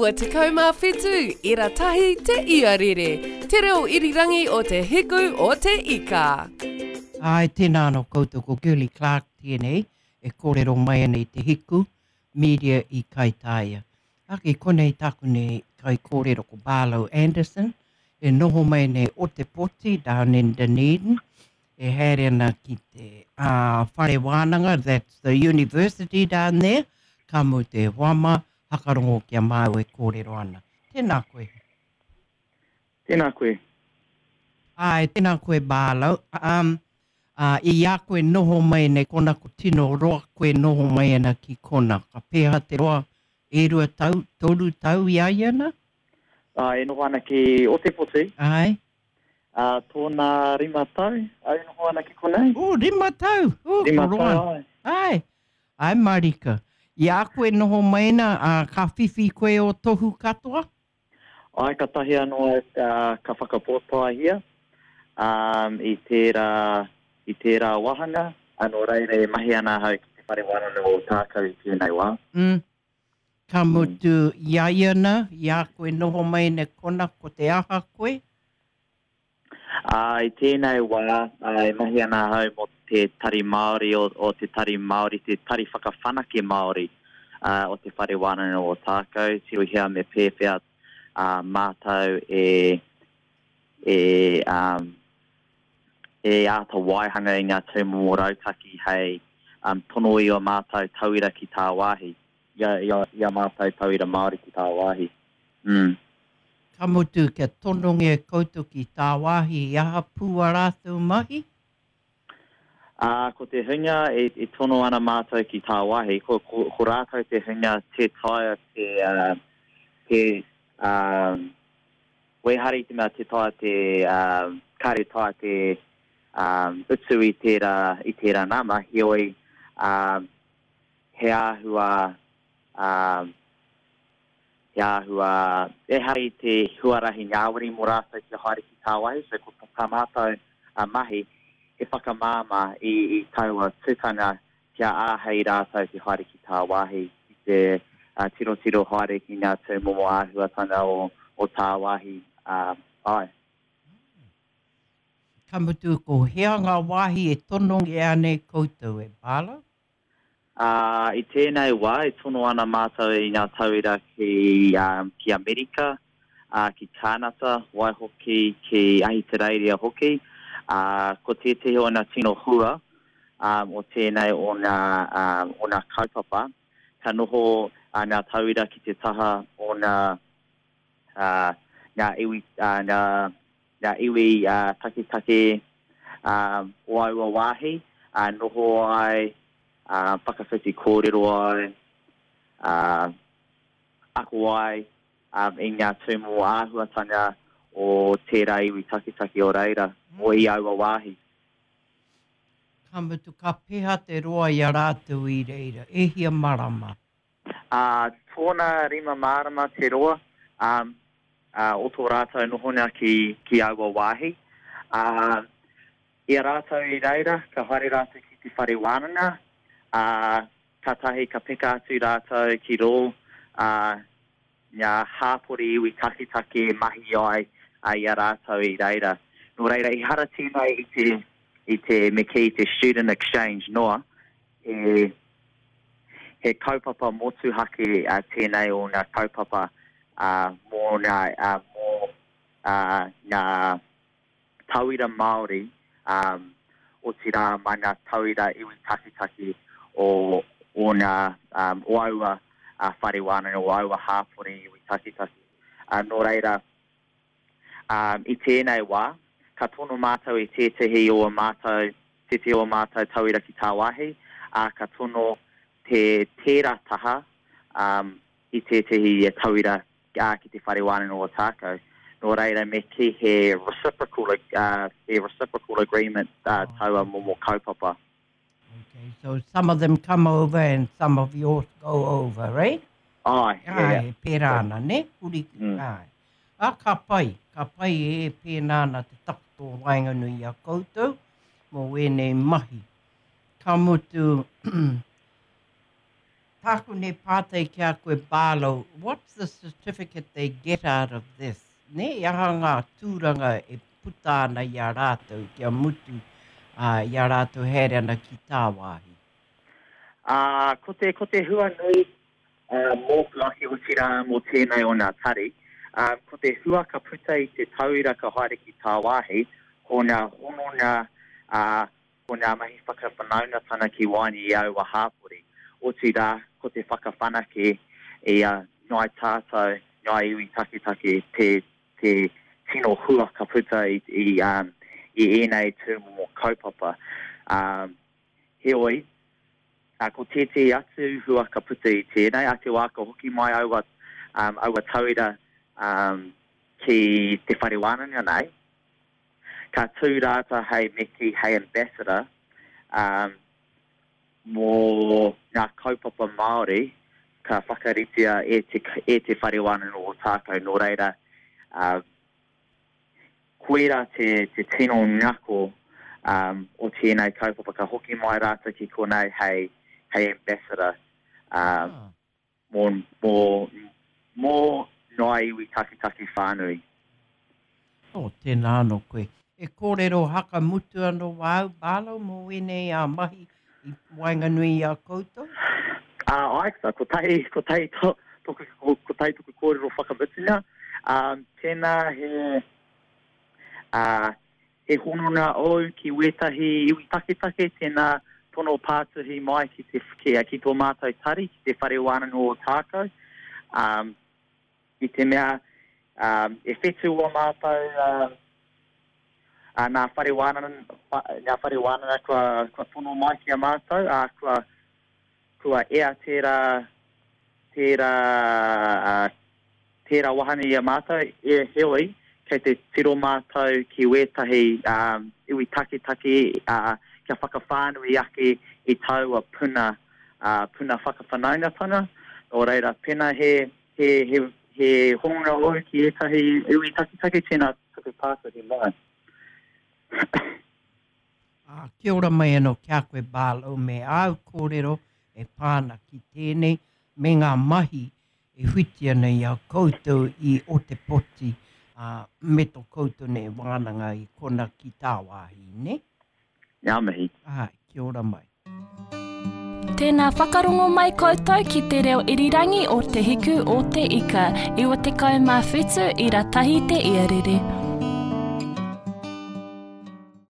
97 ira tahi te iarere, te reo irirangi o te hiku o te ika. Āe, tēnā anō koutou, ko Girlie Clarke tēnei e kōrero mai ana i te hiku media i Kaitāia. Ake, konei tāku nei kaikōrero ko Barlow Anderson, e noho mai nei Otepoti, down in Dunedin, e haere ana ki te uh, whare wānanga, that's the university down there, ka mutu e hoa mā, hakarongo ki a māu e kōrero ana. Tēnā koe. Tēnā koe. Āe, tēnā koe Barlow. Um, uh, i a koe noho mai nei kona, ko tino roa koe noho mai ana ki kona. Ka pēha te roa, e rua tau, toru tau i a ia na? Ā, e noho ana ki Otepoti. Āe. Ā, tōna rima tau au e noho ana ki konei. Ū, rima tau! Ū, ko roa. Rima tau, āe. Āe, āe marika. I a koe noho mai ana, ā, ka whiwhi koe ō tohu katoa? Āe, katahi anō au ka whakapōtaehia, ā, i tērā, i tērā wāhanga, ā, nō reira e mahi ana ahau ki Te Whare Wānanga o Ōtākou i tēnei wā. Mm. Ka mutu i a ia na, i a koe noho mai nei kona, ko te aha koe? Ā, i tēnei wā, e mahi ana ahau mō te Tari Māori o, o te Tari Māori, te Tari Whakawhanake Māori o Te Whare Wānanga o Ōtākou, tirohia me pēwhea mātou e, e, e āta waihanga i ngā tūmomo rautaki hei tono i ō mātou tauira ki tāwāhi, i a, i a, i a mātou tauira Māori ki tāwāhi. Mm. Ka mutu kia tonongia koutou ki tāwāhi i aha pū a rātou mahi? Ā, ko te hunga e, e tono ana mātou ki tāwāhi, ko, ko, ko rātou te hunga tē taea te, uh, te, uh, Ehara i te mea tē taea te, kāre taea te utu i tērā, i tērā nama, heoi, he āhua, he āhua, ehara i te huarahi ngāwari mō rātou kia haere ki tāwāhi, so ko tā mātou mahi, he whakamāmā i, i taua tukanga kia āhei rātou te haere ki tāwāhi, ki te tirotiro haere ki ngā tūmomo āhuatanga o, o tāwāhi, ā, āe. Ka mutu, ko hea ngā wāhi e tonongia ana e koutou, e Barlow? Ā, i tēnei wā e tono ana mātou i ngā tauira ki, ki Amerika, ā, ki Kānata, waihoki ki Ahitereiria hoki, ā, ko tētehi o ngā tino hua, ā, o tēnei o ngā, ā, o ngā kaupapa, ka noho, ā, ngā tauira ki te taha o ngā, ā, ngā iwi, ā, ngā, ngā iwi, ā, taketake, ā, o aua wāhi, ā, noho ai, ā, whakawhiti kōrero ai, ā, ako ai, i ngā tūmomo āhuatanga o tērā iwi taketake o reira, o i aua wāhi. Ka mutu, ka peha te roa i a rātou i reira, e hia marama? Ā, tōna rima marama te roa, ā, o tō rātou nohonga ki, ki aua wāhi. Ā, i a rātou i reira, ka haere rātou ki te whare wānanga, ā, Kātahi ka peka atu rātou ki rō ngā hāpori iwi taketake e mahi ai i a rātou i reira. Nō reira, ehara tēnei i te, i te, me kī, te student exchange noa, he, he kaupapa motuhake tēnei o ngā kaupapa mō ngā, mō ngā tauira Māori, ā, otirā mā ngā tauira iwi taketake o ōna, ā, o aua whare wānanga, o aua hāpori iwi taketake. Ā, nō reira, ā, i tēnei wā, ka tono mātou i tētehi o ā mātou, tētehi o ā mātou tauira ki tāwāhi, ā, ka tono te, tērā taha, ā, i tētehi tauira ā, ki Te Whare Wānanga o Ōtākou. Nō reira, me kī he reciprocal, uh, he reciprocal agreement uh, taua momo kaupapa. Okay, so some of them come over and some of yours go over, right? Ai, yeah, yeah. Ai, pērā ana, ne? Huri, mm. ai. Ah, ka pai, ka pai e pēnā ana te takoto o waenganui i a koutou mō wēnei mahi. Ka mutu, Tāku nei pātai ki a koe Barlow, what's the certificate they get out of this? Nē, he aha ngā tūranga e puta ana i a rātou kia mutu i a rātou haere ana ki tāwāhi? Ā, ko te, ko te hua nui mōku ake otirā mō tēnei o ngā tari, ā, ko te hua ka puta i te tauira ka haere ki tāwāhi, ko ngā hononga, ā, ko ngā mahi whakawhanaungatanga ki waenga i aua hāpori, otirā, ko te whakawhanake i a Ngāi Tātou, Ngāi Iwi Taketake te te tino hua ka puta i i i ēnei tūmomo kaupapa. Heoi, ko tētehi atu hua ka puta i tēnei, a te wā ka hoki mai aua aua tauira ki te whare wānanga nei, Ka tū rātou hei meki, hei ambassador, mō ngā kaupapa Māori ka whakaritea e te, e Te Whare Wānanga o Ōtākou. Nō reira, koirā te, te tino ngako o tēnei kaupapa. Ka hoki mai rātou ki konei hei, hei ambassador. Mō, mō, mō ngā iwi taketake whānui. Oh, tēnā anō koe. E kōrero haka mutu anō wāu, Barlow, mō ēnei ā mahi i waenganui i a koutou? Ā, āe, kotahi, kotahi to, toku, kotahi toku kōrero whakamutunga. Ā, tēnā he, ā, He hononga ōu ki wētahi iwi taketake, tēnā tono pātuhi mai ki te, ki, ki tō mātou tari, ki te Whare Wānanga o Ōtākou. Um, i te mea, um, e whetū o mātou, um, uh, nā whare wānanga, nā whare wānanga kua, kua tono mai ki a mātou, ā, kua, Kua ea tērā, tērā, tērā wahanga i a mātou, e, heoi, kei te tiro mātou ki wētahi iwi taketake, ā, kia whakawhānui ake i taua puna, ā, puna whakawhanaungatanga. Nō reira, pēnā he, he, he, he hononga ōu ki ētahi iwi taketake, tēnā tuku pātuhi mai. Ā, kia ora mai anō ki a koe Barlow me āu kōrero e pā ana ki tēnei me ngā mahi e whiti ana i a koutou i Ōtepoti, ā, me tō koutou nei wānanga i kona ki tāwāhi, nē? Ngā mihi. Āe, kia ora mai. Tēnā whakarongo mai koutou ki te reo irirangi o Te Hiku o Te Ika, 97 ira tahi te iarere.